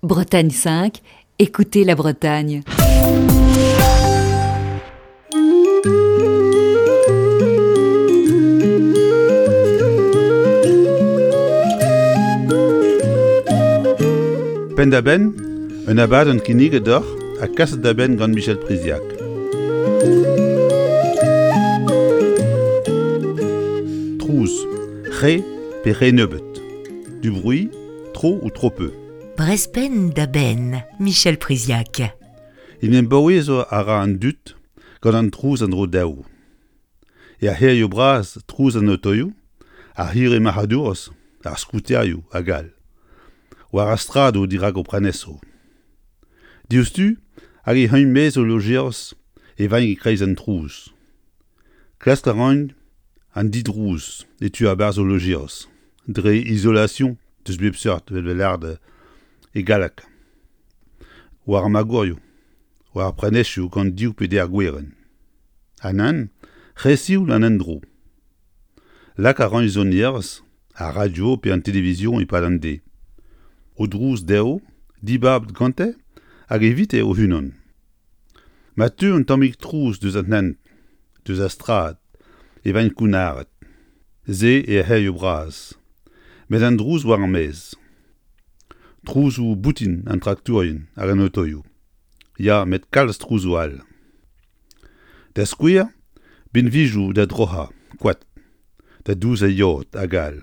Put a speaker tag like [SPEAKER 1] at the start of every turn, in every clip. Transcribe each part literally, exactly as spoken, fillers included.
[SPEAKER 1] Bretagne cinq, écoutez la Bretagne.
[SPEAKER 2] Penn-da-benn, un abadenn kinniget deoc'h ha kaset da benn gant Michel Priziac. Trouz, re pe re nebeut. Du bruit, trop ou trop peu.
[SPEAKER 3] Brezh penn da benn, Michel Priziac.
[SPEAKER 2] En em baouezo a ra an dud gant an trouz en-dro dezho. Er c'hêrioù bras trouz an otoioù, ar c'hirri marc'hadourezh, ar skouterioù hag all. War ar straedoù dirak o prenestroù. Diouzhtu hag e c'heuñ maez o lojeris e vaint e-kreiz an trouz. Klask a raint an didrouz e tu a-barzh o lojeris, dre isolation deus bep seurt evel lâret e galleg. War ar magorioù, war ar prenestroù gant div pe deir gwerenn. Ha nann, re sioul an endro. Lak a raint sonerezh, ar radio pe an televizion e-pad an deiz. O drouz dezho, dibabet gante hag evite o-unan. Ma teu un tammig trouz deus an hent, deus ar strad, e vaint kounnaret. Se er c'hêrioù bras. Met an drouz war ar maez. Trouzoù boutin an traktourien hag an otoioù. Ya, met kalz trouzoù all. Da skouer, binvioù da droc'hañ, koad, da douzañ yod hag all.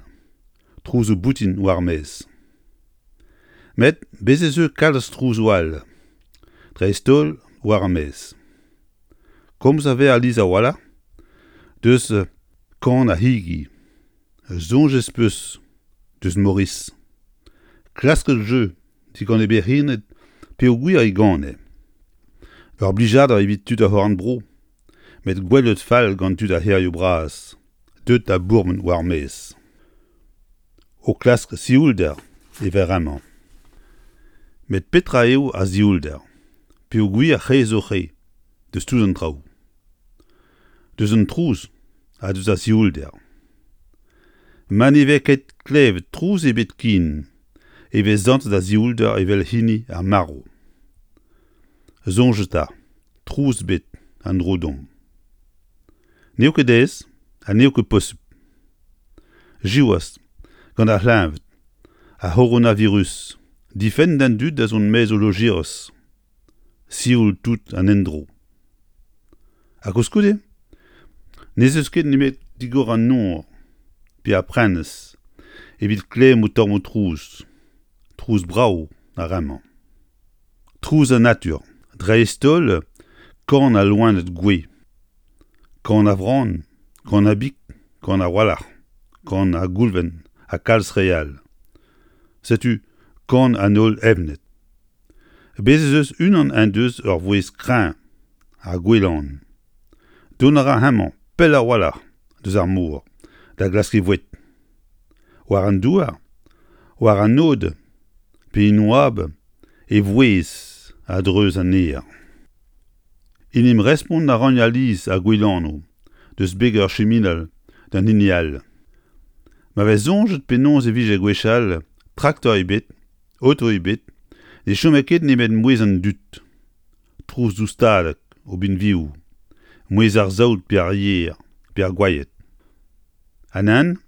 [SPEAKER 2] Trouzoù boutin war ar maez. Met bez' ez eus kalz trouzoù all, dreist-holl war ar maez. Komz a vez alies a-walc'h deus kan ar c'higi. Soñj ez peus deus Maurice. Klasket jeu digant e berc'henned peogwir e gane. Ur blijadur evit tud ar c'horn-bro, met gwelet fall gant tud ar c'hêrioù bras, deuet da bourmen war ar maez. O klask sioulder e vez amañ. Met petra eo ar sioulder? Peogwir re zo re, deus tout an traoù. Deus an trouz ha deus ar sioulder. Ma ne vez ket klevet trouz ebet ken, e vez santet ar sioulder evel hini ar marv. Soñj eta, trouz ebet en-dro deomp. N'eo ket aes ha n'eo ket posupl. Siwazh, gant ar c'hleñved, ar c'horonavirus, difenn d'an dud da zont maez o lojeris. Sioul tout an endro. Ha koulskoude, n'ez eus ket nemet digor an nor pe ar prenestr evit klemm tammoù trouz. Trouz brav ar re-mañ. Trouz an natur, dreist-holl kan al loened gouez. Kan ar vran, kan ar big, kan ar walc'h, kan ar goulven ha kalz re all. Setu kan an holl evned. Bez' ez eus unan en deus ur vouezh kreñv, ar gouelan. Dont a ra hemañ pell a-walc'h deus ar mor da glask e voued. War an douar, war an aod, pe en oabl, e vouezh a-dreuz an aer. En em respont a ran alies ar gouelanoù deus beg ur chiminal d'an hini all. Ma vez soñjet penaos e vije gwechall traktor ebet, oto ebet, ne chome ket nemet mouezh an dud. Trouz doustadek o binvioù, mouezh ar saout pe ar yer, pe ar gwayed. Ha nann,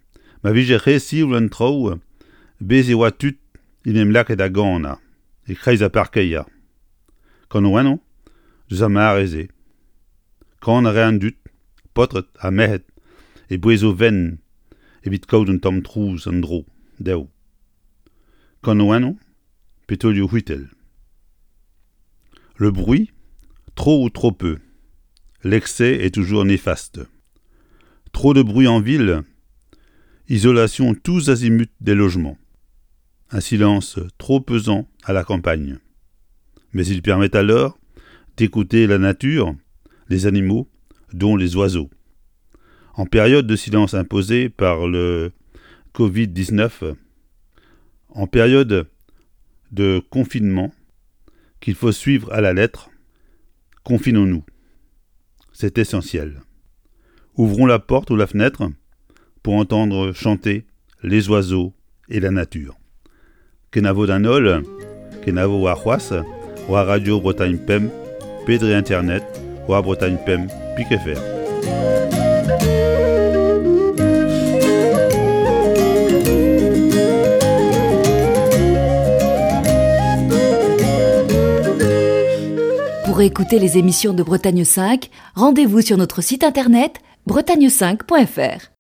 [SPEAKER 2] ma vije re sioul an traoù, bez' e oa tud en em lakaet da ganañ, e-kreiz ar parkeier. Kanaouennoù deus ar mare-se. Kan a rae an dud, paotred ha merc'hed, e bouez o fenn evit kaout un tamm trouz en-dro dezho. Kanaouennoù pe taolioù c'hwitell. Le bruit, trop ou trop peu. L'excès est toujours néfaste. Trop de bruit en ville, isolation tous azimuts des logements. Un silence trop pesant à la campagne. Mais il permet alors d'écouter la nature, les animaux, dont les oiseaux. En période de silence imposée par le covid dix-neuf, en période de confinement qu'il faut suivre à la lettre, confinons-nous. C'est essentiel. Ouvrons la porte ou la fenêtre pour entendre chanter les oiseaux et la nature. Kenavo d'an holl, Kenavo warc'hoazh war Radio Bretagne Pemp, pe dre internet war Bretagne Pemp pik F R.
[SPEAKER 1] Pour écouter les émissions de Bretagne cinq, rendez-vous sur notre site internet bretagne cinq point F R.